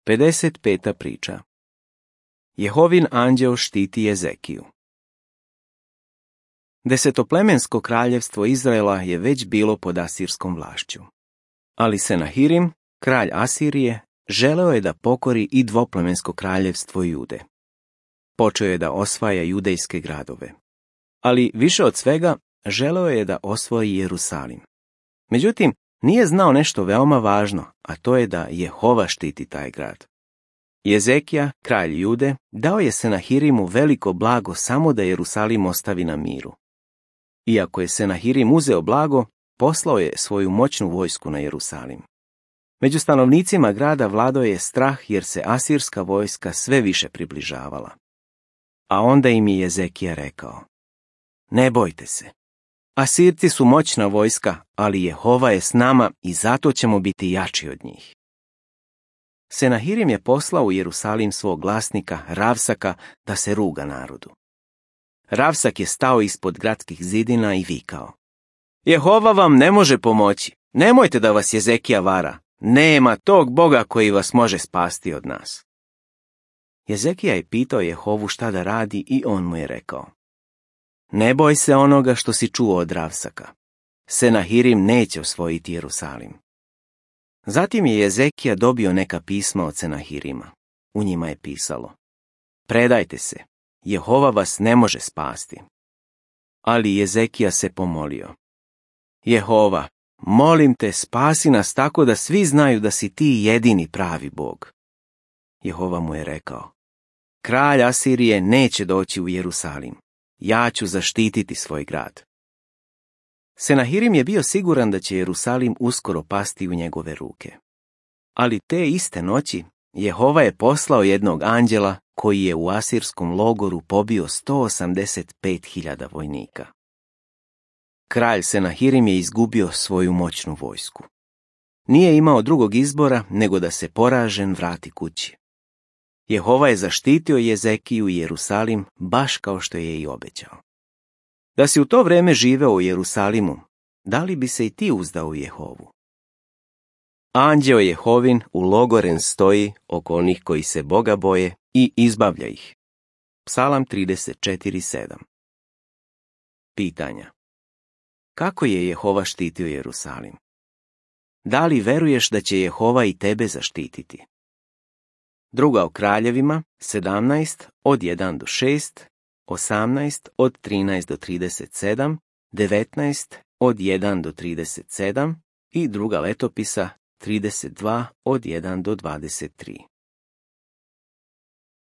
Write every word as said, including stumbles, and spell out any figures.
pedeset peta priča. Jehovin anđeo štiti Jezekiju. Desetoplemensko kraljevstvo Izraela je već bilo pod asirskom vlašću. Ali Senahirim, kralj Asirije, želeo je da pokori i dvoplemensko kraljevstvo Jude. Počeo je da osvaja judejske gradove. Ali više od svega, želeo je da osvoji Jerusalim. Međutim, nije znao nešto veoma važno, a to je da Jehova štiti taj grad. Jezekija, kralj Jude, dao je Senahirimu veliko blago samo da Jerusalim ostavi na miru. Iako je Senahirim uzeo blago, poslao je svoju moćnu vojsku na Jerusalim. Među stanovnicima grada vladao je strah jer se asirska vojska sve više približavala. A onda im je Jezekija rekao: Ne bojte se. Asirci su moćna vojska, ali Jehova je s nama i zato ćemo biti jači od njih. Senahirim je poslao u Jerusalim svog glasnika, Ravsaka, da se ruga narodu. Ravsak je stao ispod gradskih zidina i vikao: Jehova vam ne može pomoći. Nemojte da vas Jezekija vara. Nema tog Boga koji vas može spasti od nas. Jezekija je pitao Jehovu šta da radi i on mu je rekao: Ne boj se onoga što si čuo od Ravsaka. Senahirim neće osvojiti Jerusalim. Zatim je Jezekija dobio neka pisma od Senahirima. U njima je pisalo: Predajte se, Jehova vas ne može spasti. Ali Jezekija se pomolio: Jehova, molim te, spasi nas tako da svi znaju da si ti jedini pravi Bog. Jehova mu je rekao: Kralj Asirije neće doći u Jerusalim. Ja ću zaštititi svoj grad. Senahirim je bio siguran da će Jerusalim uskoro pasti u njegove ruke. Ali te iste noći Jehova je poslao jednog anđela koji je u asirskom logoru pobio sto osamdeset pet hiljada vojnika. Kralj Senahirim je izgubio svoju moćnu vojsku. Nije imao drugog izbora nego da se poražen vrati kući. Jehova je zaštitio Jezekiju i Jerusalim baš kao što je i obećao. Da si u to vreme živeo u Jerusalimu, da li bi se i ti uzdao u Jehovu? Anđeo Jehovin u logoren stoji oko onih koji se Boga boje i izbavlja ih. Psalam trideset četiri sedam. Pitanja. Kako je Jehova štitio Jerusalim? Da li veruješ da će Jehova i tebe zaštititi? Druga o kraljevima, sedamnaest od jedan do šest, osamnaest od trinaest do trideset sedam, devetnaest od jedan do trideset sedam i druga letopisa trideset dva od jedan do dvadeset tri.